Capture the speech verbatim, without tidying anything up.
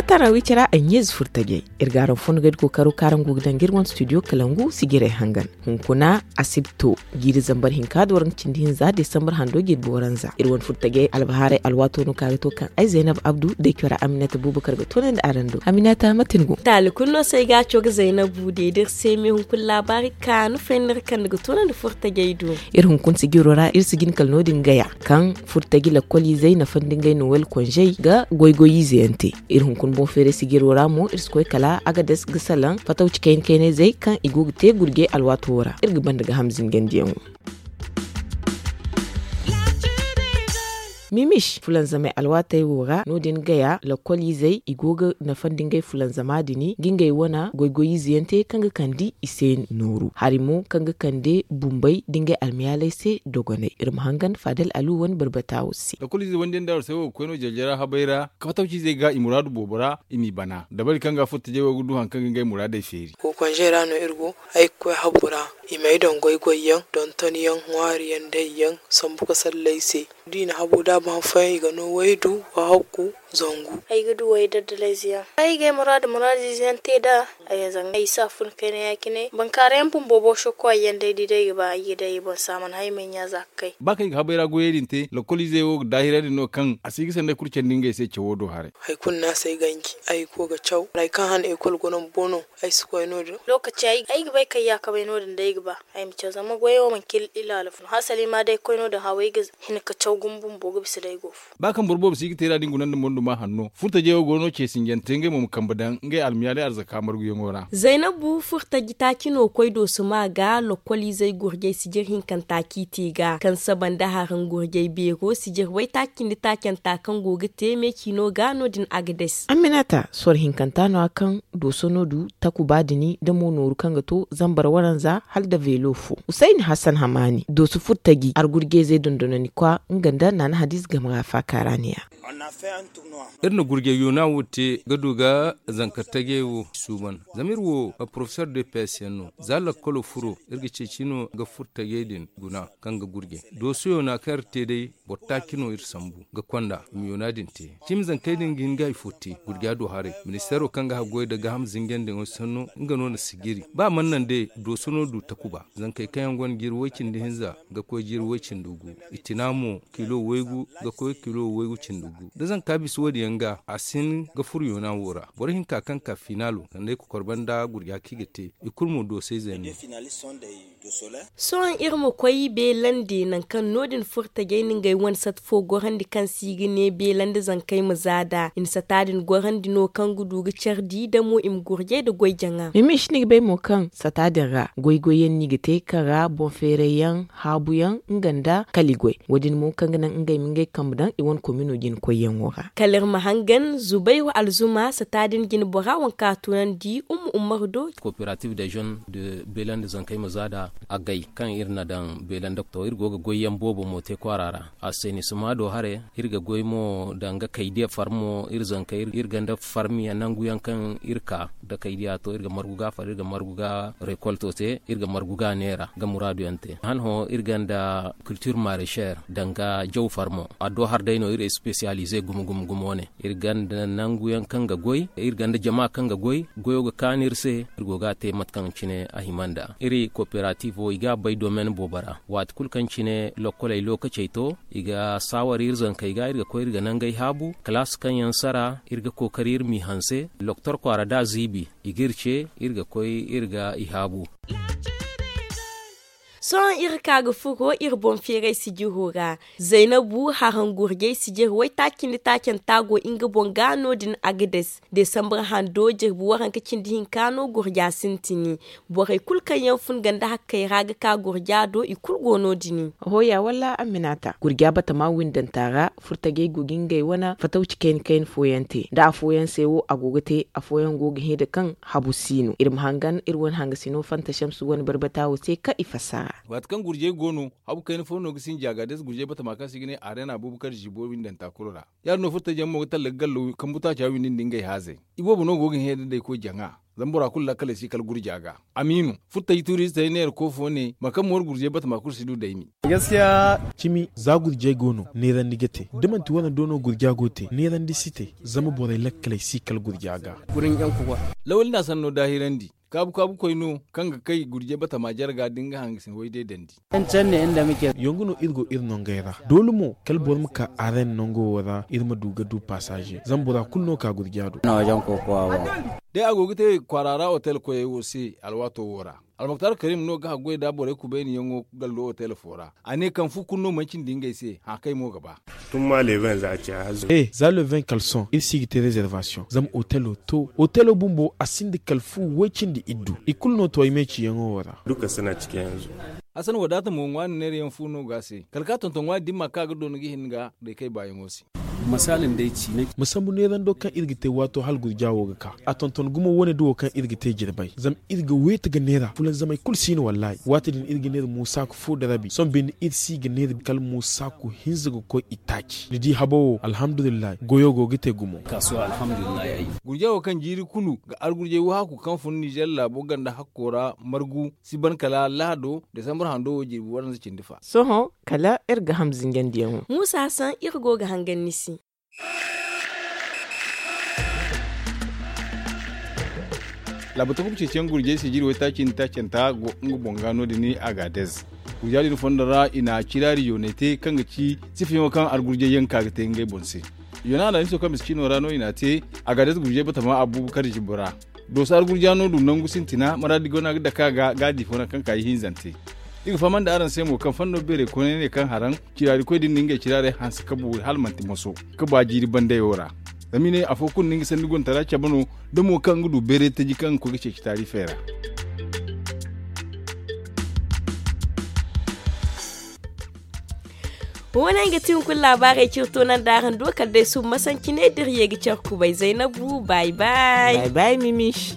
Tarawiica ra ay ɲeezi furtajey, iri ga araŋ fondogey da kookaro kaŋ araŋ go ga daŋ ga iri wane studio kalangu sijirey hangan. Hunkuna asibto jiiri zambar hinka da waranka cindi hinza desambar hando jirbi waranza iri wane furtajey albahaarey alwaato no kaŋ a ga to kaŋ ay zaynab abdu da ay cora aminata bubakar ga toonandi araŋ do aminata mate ni go? Taali kulu no se ay ga a co ga zaynabu deeda iri se me hunkuna laabaari kaanu fayna iri kande ga toonandi furtajey do. Iri hunkuna sijiro ra iri si jin kala no- din gaya kaŋ furtaji lakkoliizey nafandi ngey nowel konzey ga goy-goy ize yaŋ te. Iri hunkuna boŋ feeray sijiro ra mo iri si koy kala agades ga salaŋ fatawci kayna-kaynayzey kaŋ i go ga te gurjey alwaato wo ra iri ga banda ga hamzingandiyaŋo. Mimis fulanzamey alwaatey wo ra no- din gaya lakkoliizey i go ga nafandi ngey fulanzama din ga ngey wane goy-goy ize yaŋ te kaŋ ga kande i se nooru hari mo kaŋ ga kande bumbey da ngey almayaaley se dogonay iri ma hangan faadal alu wane barbata wo se. Lakkoliizey wande yaŋ da war se wo ga koy no jare-jare habey ra ka fatawciizey ga i muraadu boobo ra i m'i bana dabari kaŋ ga furtajey wo ga du hari kaŋ ga ngey muraadey feeri. Kokonzey ra no iri go ay ga koy habu ra i m'ay daŋ goy-goy yaŋ donton yaŋ ŋwaari yaŋ day yaŋ sambu ga sallay se. Da i na habu da a ba han fooyaŋ i ga no waydu wahakku zangu. Ay ga du way daddalayze yaŋ ay ga ay muraadu muraadiize yaŋ te nd'a. Ay zanga ay si a fun kayna ya- cine bankaara yaŋ bumbo boso koy yaŋ day di day ga ba ay ga day ay boŋ se a mana hay ay ma ay ɲaaza ga kay. Ba kaŋ i ga habay ra goyey din te lakkoliizey wo ga daahirandi no kaŋ a si ga sanday kulu candi ngey se cawo do haray. Hari kulu no a si ay ganji ay ga koy ga caw hari kaŋ han ekol go no bumbo no. Ay si koy no- din. Lookaci ay ga bay kaŋ yaakabay no- din day ga ba ay ma caw zama goyey wo manci ilaala fun hasali ma day koy no- din haw ay ga hin ga caw gumo bumbo ga bisa day go fo. Ba kaŋ boro boobo si ga te nd'a da ni guna nda monduma hanno furtajey wo go no ce sinjante ngey mo ma kambe daŋ ngey almiyaalay arzaka marguyaŋo ra. Zaynabu furtaji taaci no koy doosuma ga lokkoliizey gurjay sijir hinkanta kaŋ i te ga kaŋ saba nda haraŋ gurjay beero sijir waytaaci nda taacanta kaŋ go ga te meecino ga no- din agades. Amminata sor hinkanta no- ya kaŋ dooso no du takuba din da mo nooru kaŋ ga to zambar waranza hala nda veelo fo. Husayni hassan hamaani dooso furtaji argurjayzey dondonandikwa nga nda naana hadiize game ra faakaara ne-ya. Iri na gurjay yoona wo te ga du ga zanka tajey wo suuban zama iri wo porofesor de pes yaŋ no za lakkolo furo iri ga ceeci no ga furo tajey din guna kaŋ ga gurjay dooso yoona kaŋ iri te day boro taaci no iri sambu ga konda i ma yoona din te. Cimi zankey din ga hin ga hari fo te gurja do haray ministeero kaŋ ga haggoy nda gaaham zinjandiyaŋo sanno nga no na sijiri ba a mana naŋ day dooso no du takuba zankey kaŋ yaŋ gonda jiiri way-cindi hinza ga koy jiiri way-cindi gu. Itina mo kilo waygu ga koy kilo waygu cindi gu da zanka bisa wo- din yaŋ ga a si hin ga furo yoona wo ra boro hinka kaŋ ka finaalo sanda ay kokor banda gurja kaŋ i ga te i kulu mo doosayzey no. Sohõ iri ma koy beelandi nangu kaŋ no- din furtajey na ngey wane sata fo gorandi kaŋ se i ga ne beelandi zankey ma za nd'a i na sata din gorandi no kaŋ ga du ga care di da mo i ma gurjay nda goy jaŋa. Mimish ni ga bay mo kaŋ sata din ra goy-goy yaŋ no i ga te kaŋ ra boŋ feeray yaŋ haabu yaŋ nga nda kali goy wo- din mo kaŋ ga naŋ ngey ma ngey kambe daŋ i wane komino jina koyyaŋo ra. Kala iri ma hangan zubayru alzuma sata din jina bora waŋ kaŋ a tunandi umma ummaru do. Kooperative de zone de beelandi zankey ma za nd'a agay kaŋ iri na daŋ beelandi to iri go ga goyyaŋ boobo mo te kwaara ra. Assenisima do haray iri ga goy mo danga kaydiya farmo iri zankey iri ganda farmiyaŋ nanguyaŋ kaŋ iri ka da kaydiya to iri ga margu ga far iri ga margu ga rekolto te iri ga margu ga neera ga muraadu yaŋ te han hõ iri ganda kultir marecher danga jaw farmo addo har day no iri espesiyalize gumo gumo gumo ne. Iri ganda nanguyaŋ kaŋ ga goy iri ganda jama kaŋ ga goy goyo ga kaanu iri se. Iri go ga a te mate kaŋ cine a hima nda iri kooperativo i ga a bay domen boobo ra waati kulu kaŋ cine lokkoley lookacey to i ga saawar iri zankey ga iri ga koy iri ga nangey haabu kalaas kaŋ yaŋ sara iri ga kookari iri m'i hanse loktor kwaara da a ziibi i g'iri ce iri ga koy iri ga i haabu. Sohõ iri ka ga furo iri boŋ feeray sijiro ra. Zaynabu haraŋ gurjay sijir waytaaci nda taacanta go nga boŋ ga no- din agades desambar hando jirbi waranka cindi hinka no gurja sintini. Borey kulu kaŋ yaŋ fun ganda hakkey ra ga ka gurja do i kulu go no- din. Hooya wala amminata gurja batama windanta ra furtajey go ga ngey wane fatawci kayna kayna fooyaŋ te da afooyaŋ se wo a go ga te afooyaŋ go ga hẽ da kaŋ habu si no iri ma hangan iri wane hangasino fanta shamsu wane barbata wo se kaŋ i fassara. Waati kaŋ gurjey go no habu kayna fo no ga sinji a ga day se gurjey batama kaŋ se i ga ne arena boobo kaŋ zibo windanta kulu ra. Ya- din no furtajaŋ mo ga talla ga gallo kambu taaca windi nda ngey haazey. Iboobo no go ga hẽ da day koy jaŋa. Zama bora kulu lakkaley si kala gurja ga. Amiinu, futtaji tuuriizitey neera koofo ne, boro kaŋ moori gurjey batama kulu si du daymi. Cimi, za gurjey go no, neerandi ga te. Da manti wane do no gurja go te, neerandi si te. Zama borey lakkaley si kala gurja ga. Lawali na sanno daahirandi. Kaabu-kaabu koy no, kaŋ ga kay gurjey batama jarga da nga hangasin way day dandi. Yongu no iri go iri nongey ra. Doole mo, kala boro ma ka areena nango wo ra, iri ma du ga du pasaaze. Zama bora kulu no ka gurja do. Day a go ga te kwaara ra otel koyey wo se alwaato wo ra. Almuktar Karim no ga haggoy da borey kubayniyaŋo gallo otel fo ra. A ne kaŋ fu kulu no mana cindi ngey se, hã kay mo ga ba. Tun ma leeban za a ci hazo. E, za le vingt kalson, iri si ga te reservation. Zama otelo to, otelo bumbo, a sinda kala fu way cindi iddu. I kulu no to ay me ciyaŋo wo ra. Duka suna cikin yanzu. Hasan wadaata mo ŋwaani neerayaŋ fu no ga se. Kala ka tonton ŋwaani dimma ka ga doona ga hin ga day kay baayaŋo se. Ma sambu neerando kaŋ iri ga te waato hala gurja wo ga ka. A tonton gumo wane da wo kaŋ iri ga te jirbay. Zama iri ga weeti ga neera fulanzamay kulu si no wallaahi. Waati din iri ga neera muusaku fo da rabi sohõ binde iri si ga neera kala muusaku hinza ga koy i taaci ni di habo wo alhamdulillahi goyo go ga te gumo. Gurja wo kaŋ jiiri kulu ga argurjay wahaaku kaŋ fun nizer laabo ganda hakko ra margu si ban kala lahado desambar hando wo jirbi waranza cindi fa. Sohõ kala iri ga ham zinjandiyaŋo. Muusa hasan iri go ga hangan ni se. Laabu takuba ceeciyaŋ gurjey se jiiri waytaaci nda taacanta go nga boŋ ga no- din. Agaadez gurja din fondo ra i na ciraari yooney te kaŋ ga ci sifayaŋo kaŋ argurjey yaŋ ka ga te ngey boŋ se. Yoona alhamiso kaŋ miskiino ra no i n'a te. Agaadez gurjey batama abuubakar jibo ra. Dooso argurja no du nangu sintina maraadi go no a ga dake a ga gaadi fo naŋ kaŋ ka ihinzante. I ga faham nda araŋ se mo kaŋ fanno beeray koonay ne kaŋ haraŋ ciraarikoy din na ngey ciraarey hanse ka boori hala manti moso ka ba jiiri bandayo ra. Zama i ne afo kulu na nga sanni gontara cabe no da mo kaŋ ga du beeray taji kaŋ ga koy ga ceeci taarifey ra. Wo- ne nga ti hunkuna laabaarey ciri toonandi araŋ do kala day suba masanci ne da iri ye ga care kubay zaynabu. Bay bay. Bay bay mimish.